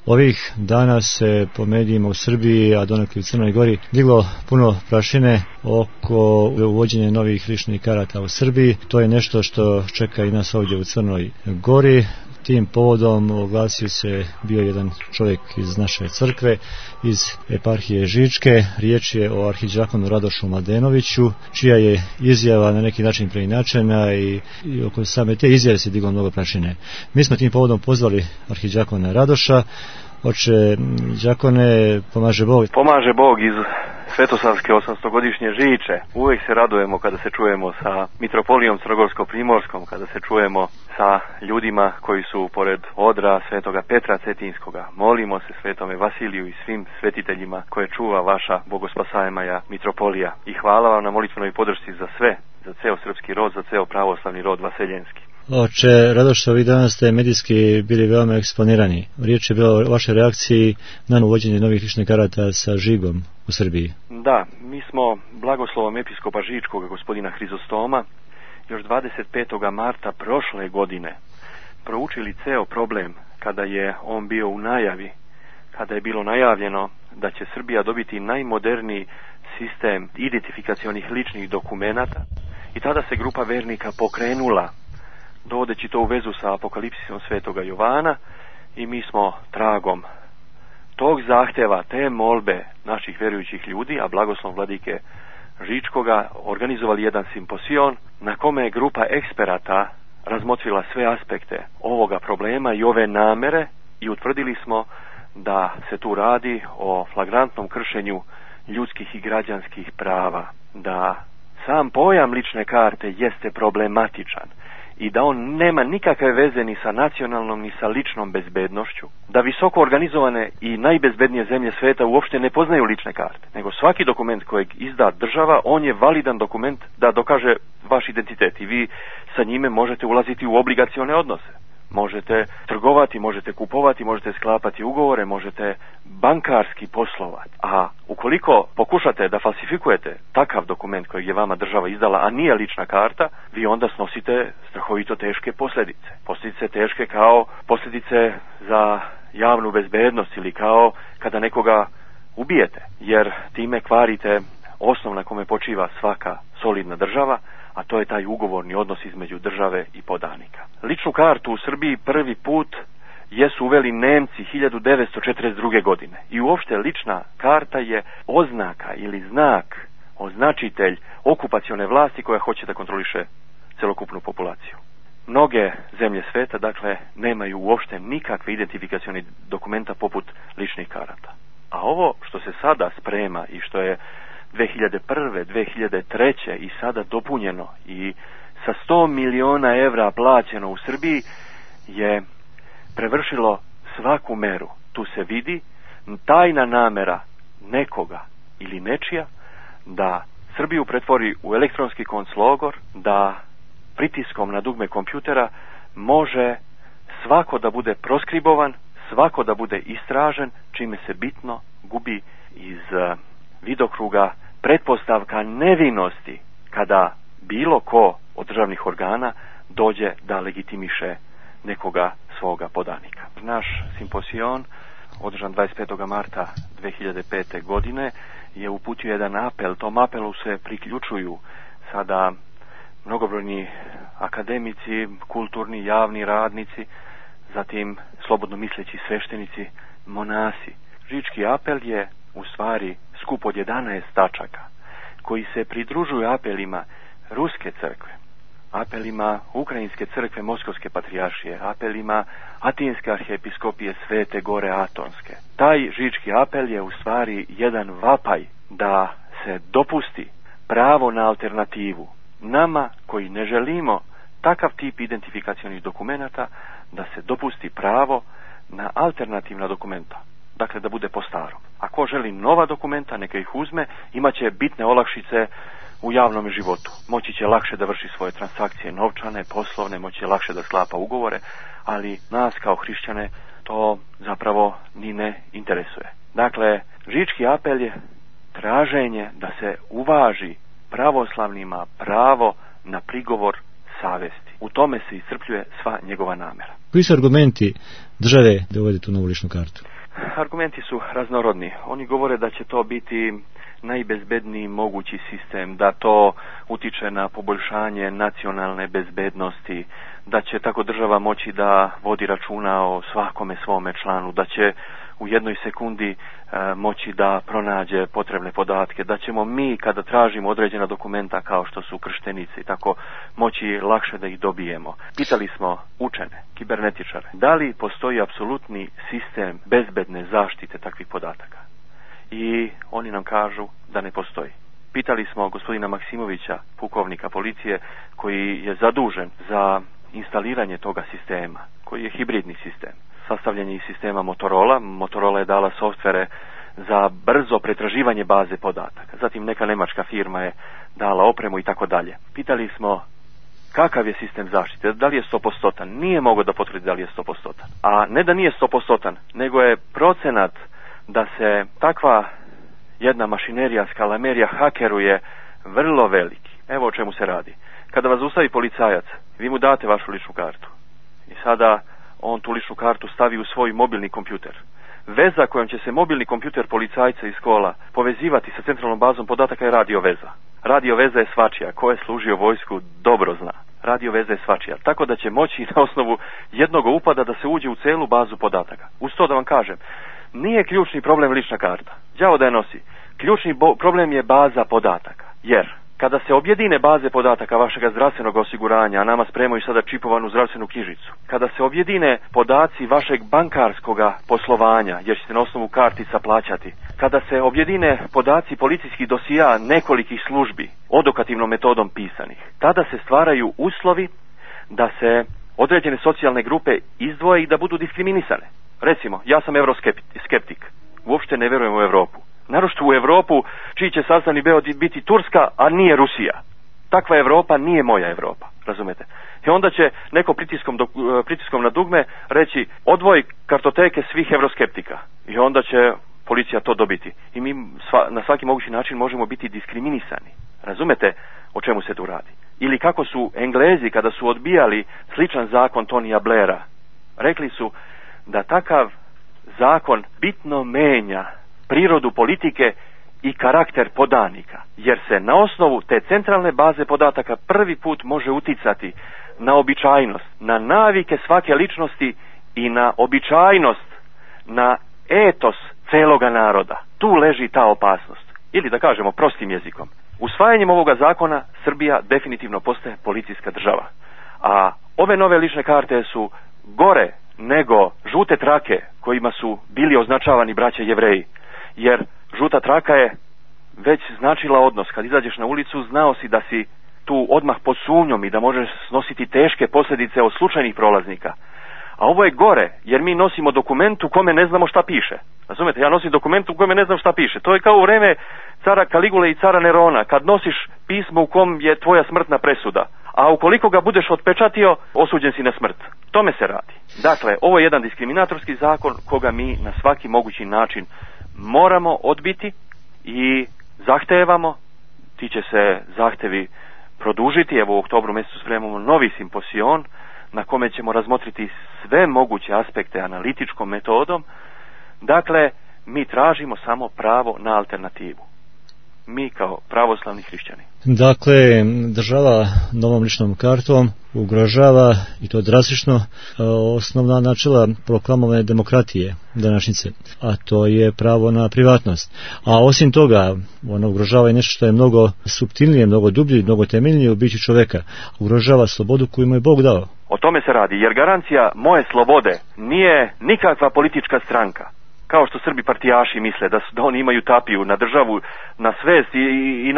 Ovih dana se po medijima u Srbiji, a donekle u Crnoj Gori, diglo puno prašine oko uvođenja novih ličnih karata u Srbiji. To je nešto što čeka i nas ovdje u Crnoj Gori. Tim povodom oglasio se bio jedan čovjek iz naše crkve, iz eparhije Žičke. Riječ je o arhidžakonu Radošu Mladenoviću, čija je izjava na neki način preinačena i oko same te izjave se diglo mnogo prašine. Mi smo tim povodom pozvali arhidžakona Radoša. Oče đakone, pomaže Bog. Pomaže Bog iz Svetosavske 800-godišnje Žiče. Uvijek se radujemo kada se čujemo sa mitropolijom Crnogorsko-primorskom, kada se čujemo sa ljudima koji su pored odra Svetoga Petra Cetinskoga. Molimo se Svetome Vasiliju i svim svetiteljima koje čuva vaša bogospasajmaja mitropolija. I hvala vam na molitvenoj podršci za sve, za ceo srpski rod, za ceo pravoslavni rod vaseljenski. Oče Radoš, ovih dana ste medijski bili veoma eksponirani. Riječ je bila o vašoj reakciji na uvođenje novih ličnih karata sa žigom u Srbiji. Da, mi smo blagoslovom episkopa Žičkog, gospodina Hrizostoma, još 25. marta prošle godine proučili ceo problem kada je on bio u najavi, kada je bilo najavljeno da će Srbija dobiti najmoderniji sistem identifikacionih ličnih dokumenata, i tada se grupa vernika pokrenula, dovodeći to u vezu sa apokalipsisom Svetoga Jovana, i mi smo tragom tog zahtjeva, te molbe naših vjerujućih ljudi, a blagoslov vladike Žičkoga, organizovali jedan simposion na kome je grupa eksperata razmotrila sve aspekte ovoga problema i ove namere, i utvrdili smo da se tu radi o flagrantnom kršenju ljudskih i građanskih prava, da sam pojam lične karte jeste problematičan i da on nema nikakve veze ni sa nacionalnom ni sa ličnom bezbednošću, da visoko organizovane i najbezbednije zemlje sveta uopšte ne poznaju lične karte, nego svaki dokument kojeg izda država, on je validan dokument da dokaže vaš identitet i vi sa njime možete ulaziti u obligacione odnose. Možete trgovati, možete kupovati, možete sklapati ugovore, možete bankarski poslovati. A ukoliko pokušate da falsifikujete takav dokument kojeg je vama država izdala, a nije lična karta, vi onda snosite strahovito teške posljedice. Posljedice teške kao posljedice za javnu bezbednost ili kao kada nekoga ubijete, jer time kvarite osnov na kome počiva svaka solidna država, a to je taj ugovorni odnos između države i podanika. Ličnu kartu u Srbiji prvi put jesu uveli Nemci 1942. godine. I uopšte lična karta je oznaka ili znak, označitelj okupacione vlasti koja hoće da kontroliše celokupnu populaciju. Mnoge zemlje sveta, dakle, nemaju uopšte nikakve identifikacione dokumenta poput ličnih karata. A ovo što se sada sprema i što je 2001. 2003. i sada dopunjeno i sa 100 miliona evra plaćeno u Srbiji je prevršilo svaku meru. Tu se vidi tajna namera nekoga ili nečija da Srbiju pretvori u elektronski konclogor, da pritiskom na dugme kompjutera može svako da bude proskribovan, svako da bude istražen, čime se bitno gubi iz vidokruga pretpostavka nevinosti kada bilo ko od državnih organa dođe da legitimiše nekoga svoga podanika. Naš simposion, održan 25. marta 2005. godine, je uputio jedan apel. Tom apelu se priključuju sada mnogobrojni akademici, kulturni, javni radnici, zatim slobodno misleći sveštenici, monasi. Žički apel je u stvari skup od 11 tačaka koji se pridružuju apelima Ruske crkve, apelima Ukrajinske crkve Moskovske patrijaršije, apelima Atinske arhiepiskopije Svete Gore Atonske. Taj Žički apel je u stvari jedan vapaj da se dopusti pravo na alternativu. Nama koji ne želimo takav tip identifikacionih dokumenata, da se dopusti pravo na alternativna dokumenta. Dakle, da bude po starom. Ako želi nova dokumenta, neka ih uzme, imaće bitne olakšice u javnom životu. Moći će lakše da vrši svoje transakcije novčane, poslovne, moći će lakše da sklapa ugovore, ali nas kao hrišćane to zapravo ni ne interesuje. Dakle, Žički apel je traženje da se uvaži pravoslavnima pravo na prigovor savesti. U tome se iscrpljuje sva njegova namjera. Koji su argumenti države da uvede tu novu ličnu kartu? Argumenti su raznorodni. Oni govore da će to biti najbezbedniji mogući sistem, da to utiče na poboljšanje nacionalne bezbednosti, da će tako država moći da vodi računa o svakome svome članu, da će u jednoj sekundi moći da pronađe potrebne podatke, da ćemo mi kada tražimo određena dokumenta kao što su krštenice i tako moći lakše da ih dobijemo. Pitali smo učene, kibernetičare, da li postoji apsolutni sistem bezbedne zaštite takvih podataka? I oni nam kažu da ne postoji. Pitali smo gospodina Maksimovića, pukovnika policije, koji je zadužen za instaliranje toga sistema, koji je hibridni sistem. Sastavljen je iz sistema Motorola. Motorola je dala softvere za brzo pretraživanje baze podataka. Zatim neka nemačka firma je dala opremu i tako dalje. Pitali smo kakav je sistem zaštite, da li je 100%. Nije mogao da potvrdi da li je 100%. A ne da nije 100%, nego je procenat da se takva jedna mašinerija, skalamerija hakeruje vrlo veliki. Evo o čemu se radi. Kada vas zaustavi policajac, vi mu date vašu ličnu kartu. I sada on tu ličnu kartu stavi u svoj mobilni kompjuter. Veza kojom će se mobilni kompjuter policajca iz kola povezivati sa centralnom bazom podataka je radio veza. Radio veza je svačija. Ko je služio vojsku dobro zna. Radio veza je svačija. Tako da će moći na osnovu jednog upada da se uđe u celu bazu podataka. Uz to da vam kažem, nije ključni problem lična karta. Đavo da je nosi. Ključni problem je baza podataka. Jer kada se objedine baze podataka vašeg zdravstvenog osiguranja, a nama spremaju sada čipovanu zdravstvenu knjižicu, kada se objedine podaci vašeg bankarskog poslovanja, jer ćete na osnovu kartica plaćati, kada se objedine podaci policijskih dosija nekolikih službi, odokativnom metodom pisanih, tada se stvaraju uslovi da se određene socijalne grupe izdvoje i da budu diskriminisane. Recimo, ja sam euroskeptik, uopšte ne verujem u Europu. Naročito u Europu, čiji će sastavni deo biti Turska, a nije Rusija. Takva Europa nije moja Europa, razumete? I onda će neko pritiskom na dugme reći odvoj kartoteke svih euroskeptika. I onda će policija to dobiti. I mi na svaki mogući način možemo biti diskriminisani. Razumete o čemu se tu radi? Ili kako su Englezi kada su odbijali sličan zakon Tonija Blaira, rekli su da takav zakon bitno menja prirodu politike i karakter podanika, jer se na osnovu te centralne baze podataka prvi put može uticati na običajnost, na navike svake ličnosti i na običajnost, na etos celoga naroda. Tu leži ta opasnost. Ili da kažemo prostim jezikom. Usvajanjem ovoga zakona Srbija definitivno postaje policijska država. A ove nove lične karte su gore nego žute trake kojima su bili označavani braća Jevreji. Jer žuta traka je već značila odnos. Kad izađeš na ulicu, znao si da si tu odmah pod sumnjom i da možeš snositi teške posljedice od slučajnih prolaznika. A ovo je gore, jer mi nosimo dokument u kome ne znamo šta piše. Razumete, ja nosim dokument u kome ne znam šta piše. To je kao u vreme cara Kaligule i cara Nerona, kad nosiš pismo u kom je tvoja smrtna presuda. A ukoliko ga budeš otpečatio, osuđen si na smrt. Tome se radi. Dakle, ovo je jedan diskriminatorski zakon koga mi na svaki mogući način moramo odbiti i zahtevamo. Ti će se zahtevi produžiti. Evo u oktobru mjesecu spremamo novi simposion na kome ćemo razmotriti sve moguće aspekte analitičkom metodom. Dakle, mi tražimo samo pravo na alternativu. Mi kao pravoslavni hrišćani. Dakle, država novom ličnom kartom ugrožava, i to drastično, osnovna načela proklamovane demokratije današnjice, a to je pravo na privatnost. A osim toga, ona ugrožava i nešto što je mnogo suptilnije, mnogo dublje, mnogo temeljnije u biću čoveka. Ugrožava slobodu koju mu je Bog dao. O tome se radi, jer garancija moje slobode nije nikakva politička stranka. Kao što Srbi partijaši misle da oni imaju tapiju na državu, na svest i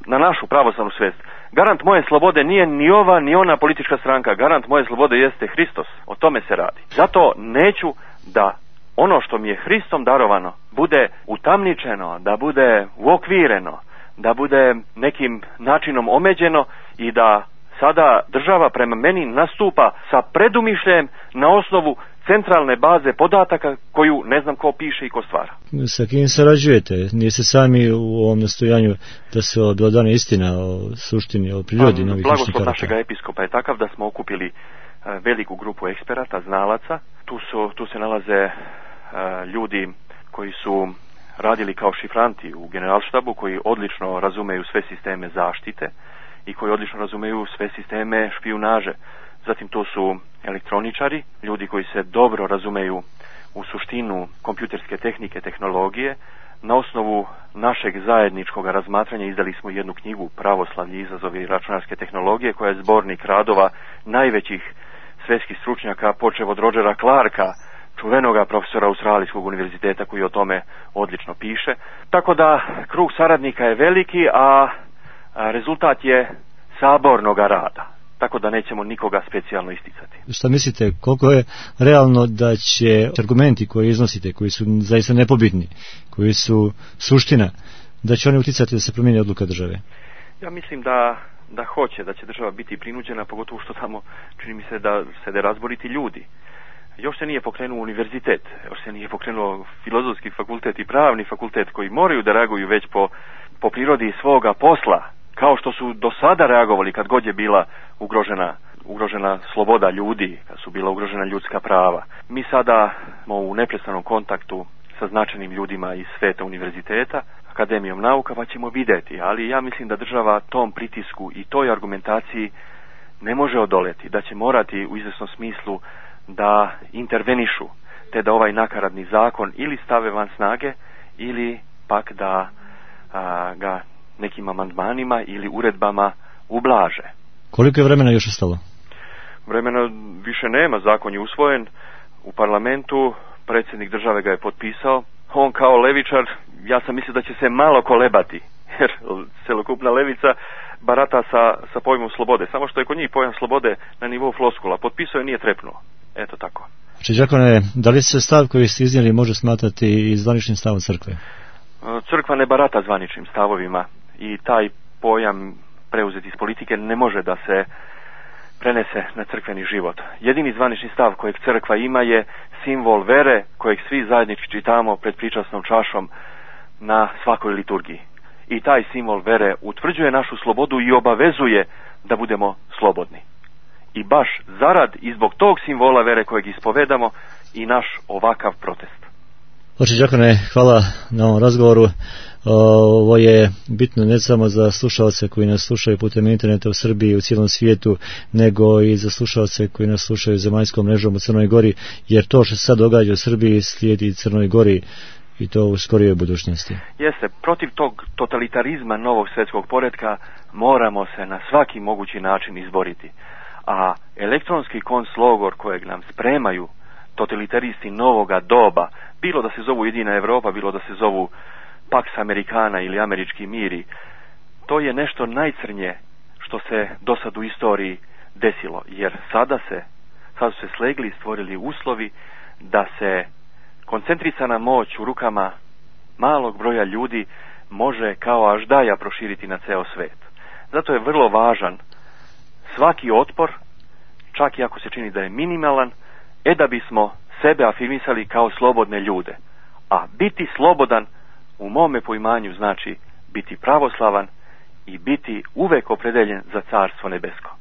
na našu pravoslavnu svest. Garant moje slobode nije ni ova ni ona politička stranka. Garant moje slobode jeste Hristos. O tome se radi. Zato neću da ono što mi je Hristom darovano bude utamničeno, da bude uokvireno, da bude nekim načinom omeđeno i da sada država prema meni nastupa sa predumišljem na osnovu centralne baze podataka koju ne znam ko piše i ko stvara. Sa kim sarađujete? Niste sami u ovom nastojanju da se objelodane istina o suštini, o prirodi novih ličnih karata? Blagoslov našega episkopa je takav da smo okupili veliku grupu eksperata, znalaca. Tu se nalaze ljudi koji su radili kao šifranti u generalštabu, koji odlično razumeju sve sisteme zaštite i koji odlično razumeju sve sisteme špijunaže. Zatim tu su elektroničari, ljudi koji se dobro razumeju u suštinu kompjuterske tehnike, tehnologije. Na osnovu našeg zajedničkog razmatranja izdali smo jednu knjigu Pravoslavlje, izazovi računarske tehnologije, koja je zbornik radova najvećih svjetskih stručnjaka, počev od Rogera Clarka, čuvenoga profesora Australijskog univerziteta, koji o tome odlično piše. Tako da krug saradnika je veliki, a rezultat je sabornoga rada. Tako da nećemo nikoga specijalno isticati. Šta mislite, koliko je realno da će argumenti koje iznosite, koji su zaista nepobitni, koji su suština, da će oni uticati da se promijeni odluka države? Ja mislim da hoće, da će država biti prinuđena, pogotovo što tamo čini mi se da sede razboriti ljudi. Još se nije pokrenuo univerzitet, još se nije pokrenuo filozofski fakultet i pravni fakultet, koji moraju da reaguju već po prirodi svoga posla, kao što su do sada reagovali kad god je bila ugrožena sloboda ljudi, kad su bila ugrožena ljudska prava. Mi sada smo u neprestanom kontaktu sa značajnim ljudima iz sveta univerziteta, Akademijom nauka, pa ćemo vidjeti, ali ja mislim da država tom pritisku i toj argumentaciji ne može odoleti, da će morati u izvjesnom smislu da intervenišu, te da ovaj nakaradni zakon ili stave van snage, ili pak da ga nekim amandmanima ili uredbama ublaže. Koliko je vremena još ostalo? Vremena više nema, zakon je usvojen u parlamentu, predsjednik države ga je potpisao. On kao levičar, ja sam mislio da će se malo kolebati, jer celokupna levica barata sa pojmom slobode, samo što je kod njih pojam slobode na nivou floskula. Potpisao je, nije trepnuo. Eto tako. Znači, đakone, da li se stav koji ste iznijeli može smatrati i zvaničnim stavom crkve? Crkva ne barata zvaničnim stavovima i taj pojam preuzet iz politike ne može da se prenese na crkveni život. Jedini zvanični stav kojeg crkva ima je simbol vere kojeg svi zajednički čitamo pred pričasnom čašom na svakoj liturgiji. I taj simbol vere utvrđuje našu slobodu i obavezuje da budemo slobodni. I baš zarad i zbog tog simbola vere kojeg ispovedamo i naš ovakav protest. Oče đakone, hvala na ovom razgovoru. Ovo je bitno ne samo za slušalce koji nas slušaju putem interneta u Srbiji i u cijelom svijetu, nego i za slušalce koji nas slušaju zemaljskom mrežom u Crnoj Gori, jer to što se sad događa u Srbiji slijedi Crnoj Gori i to u skorijoj budućnosti. Jeste, protiv tog totalitarizma novog svjetskog poretka moramo se na svaki mogući način izboriti. A elektronski konclogor kojeg nam spremaju totalitaristi novoga doba, bilo da se zovu Jedina Europa, bilo da se zovu Pax Americana ili Američki miri, to je nešto najcrnje što se do sad u istoriji desilo, jer sad su se slegli i stvorili uslovi da se koncentrisana moć u rukama malog broja ljudi može kao aždaja proširiti na ceo svet. Zato je vrlo važan svaki otpor, čak i ako se čini da je minimalan, da bismo sebe afirmisali kao slobodne ljude. A biti slobodan u mome poimanju znači biti pravoslavan i biti uvek opredeljen za Carstvo nebesko.